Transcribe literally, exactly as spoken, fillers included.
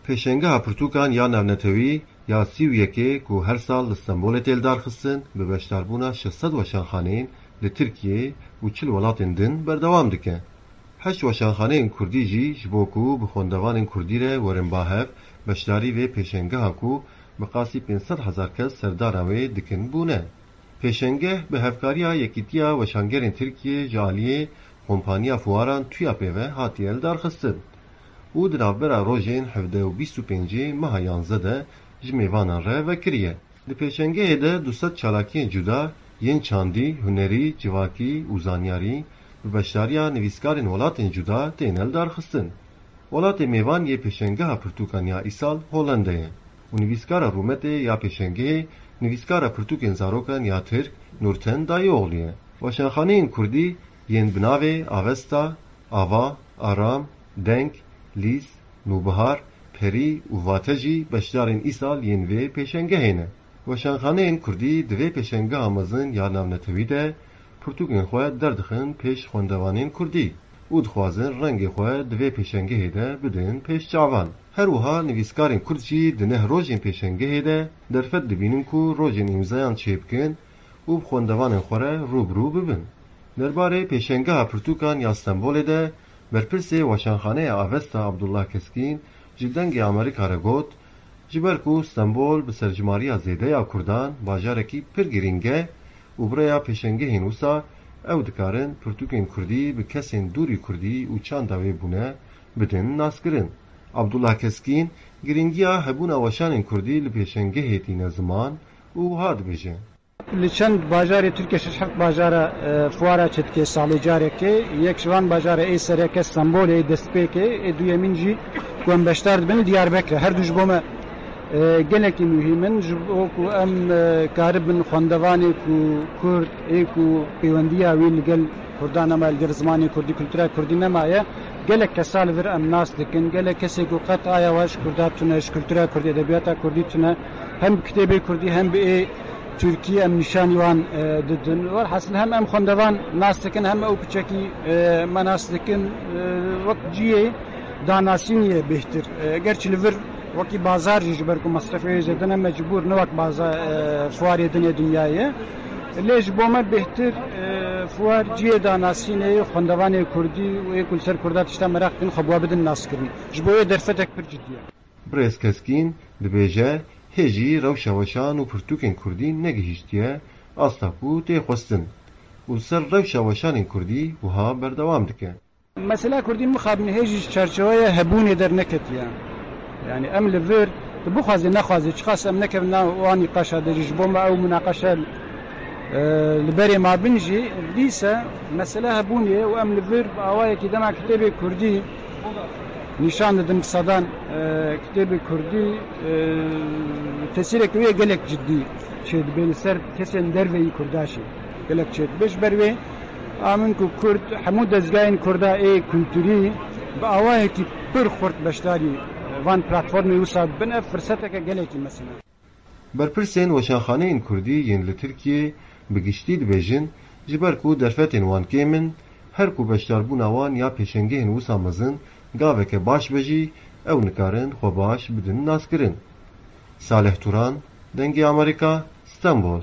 Pêşengeha pirtûkan ya navnetewî ya sî û yekê ku her sal li Stenbolê tê lidarxistin, bi beşdarbûna şeş sed weşanxaneyên li Tirkiyeyê û çil welatên din berdewam dike. Heşt weşanxaneyên kurdî jî ji bo ku bi xwendevanên kurdî re werin ba hev, beşdarî vê pêşengeha ku bi qasî pênc sed hezar kes serdana wê dikin bûne. Pêşengeh bi hevkariya Yekîtiya Weşangerên Tirkiyê ji aliyê Kompaniya Fuaran TUYAPê ve hatiye lidarxistin û di navbera rojên hevdeh û bîst û pêncê meha yanzdeh de ji mêvanan re vekiriye. Di pêşengehê de du sed çalakiyên cuda yên çandî, hunerî, civakî û zanyarî bi beşdariya nivîskarên welatên cuda têne lidarxistin. Welatê mêvan yê pêşengeha pirtûkan ya îsal Hollanda ye û nivîskara rûmetê ya pêşengehê nivîskara pirtûkên zarokan ya Tirk Nurten Dayıoğlu ye. Weşanxaneyên kurdî yên bi navê Avesta, Ava, Aram, Deng, Lîs, Nûbihar, Perî û Vate jî beşdarên îsal yên vê pêşengehê ne. Weşanxaneyên kurdî di vê pêşengeha mezin ya navnetewî de pirtûkên xwe derdixin pêş xwendevanên kurdî û dixwazin rengê xwe di vê pêşengehê de bidin pêş çavan. Her wiha nivîskarên kurd jî di neh rojên pêşengehê de derfet dibînin ku rojên îmzayan çêbikin û bi xwendevanên xwe re rû bi rû bibin. Derbarê pêşengeha pirtûkan ya Stenbolê de berpirsê Weşanxaneya Avesta Abdullah Keskîn ji Dengê Amerîka re got, ji ber ku Stenbol bi serjimariya zêde ya kurdan bajarekî pir girîng e û bi rêya pêşengehên wisa ew dikarin pirtûkên kurdî bi kesên dûrî kurdî û çanda wê bûne bidin naskirin. Abdullah Keskîn girîngiya hebûna weşanên kurdî li pêşengehê tîne ziman û wiha dibêje. Li çend bajarê Tirkiye şeş heft bajara, e, fuara çêdike salê carekê. Yek ji van bajara ê sereke Stenbolê, ê destpêkê, ê duyemîn jî ku em beşdar dibin Diyarbekir e. Her du ji bo me, e, gelekî muhîm in. Ji bo ku em, e, karibin xwendevanê ku kurd, ê ku pêwendiya wî li gel kurdan nema, li gel zimanê kurdî, kultura kurdî nemaye. Gelek kesa li vir em nas dikin. Gelek kesê ku qet aya wan ji kurda tune, ji kultura kurdî, edebiyata kurdî tune, hem bi kitêbê kurdî, hem bi ê Tirkî em nîşanî wan, e, didin. Welhasil hem em xwendevan nas dikin, hem ew piçekî, e, me nas dikin, e, wek cihê danasînê bêhtir. E, gerçî li vir wekî bazar jî, ji ber ku mesrefê wê zêde ne, mecbûr ne wek baza-, e, fuarê din ê dinyayê. Lê ji bo me bêhtir, e, fuar cihê danasînê xwendevanê kurdî û ê ku li ser kurda tişta meraq dikin xwe bi we bidin naskirin. Ji bo wê derfetek pir cidî ye. Birêz Keskîn dibêje, hê jî rewşa weşan û pirtûkên kurdî negihîştiye asta ku tê xwestin û li ser rewşa weşanên kurdî wiha berdewam dike. Mesela kurdî mixabin hê jî ji çarçeweya hebûnê derneketiye. Yani em li vir, tu bixwazê nexwazê, çiqas em nekevin nav wan nîqaşa de jî, ji bo me ew munaqeşe, e, li berê ma bin jî, dîse mesele hebûnê ye û em li vir bi awayekî dema kitêbê kurdî nîşan didin bi sedan, e, kitêbê kurdî, e, tesîreke wê gelek cidî çêdibe li ser kesên derveyî kurda jî gelek çêdibe. Ji ber wê a min ku kurd, hemû dezgahên kurda ê kulturî bi awayekî pir xurt beşdarî van platformê wisa bibin, ev firseteke gelekî mezin e. Berpirsên weşanxaneyên kurdî yên li Tirkiyê bi giştî dibêjin, ji ber ku derfetên wan kêm in, her ku beşdarbûna wan ya pêşengehên wisa mezin gaveke baş be jî, ew nikarin xwe baş bidin naskirin. Salih Turan, Dengê Amerîka, Stenbol.